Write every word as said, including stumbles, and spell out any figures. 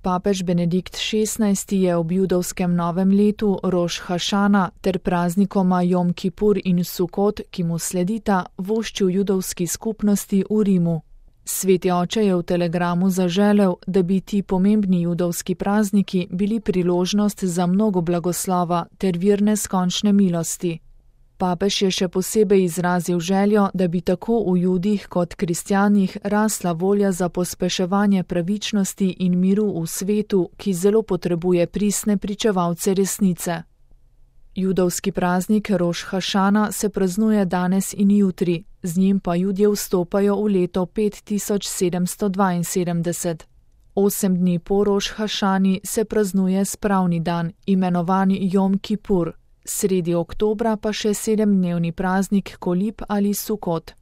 Papež Benedikt šestnajsti je ob judovskem novem letu Roš Hašana ter praznikoma Jom Kipur in Sukot, ki mu sledita, voščil judovski skupnosti v Rimu. Sveti oče je v telegramu zaželel, da bi ti pomembni judovski prazniki bili priložnost za mnogo blagoslova ter vir neskončne milosti. Papež je še posebej izrazil željo, da bi tako v Judih kot kristjanih rasla volja za pospeševanje pravičnosti in miru v svetu, ki zelo potrebuje pristne pričevalce resnice. Judovski praznik Roš Hašana se praznuje danes in jutri, z njim pa Judje vstopajo v leto pet tisoč sedemsto dvainsedemdeset. Osem dni po Roš Hašani se praznuje spravni dan, imenovan Jom Kipur. Sredi oktobra pa še sedemdnevni praznik Kolib ali Sukot.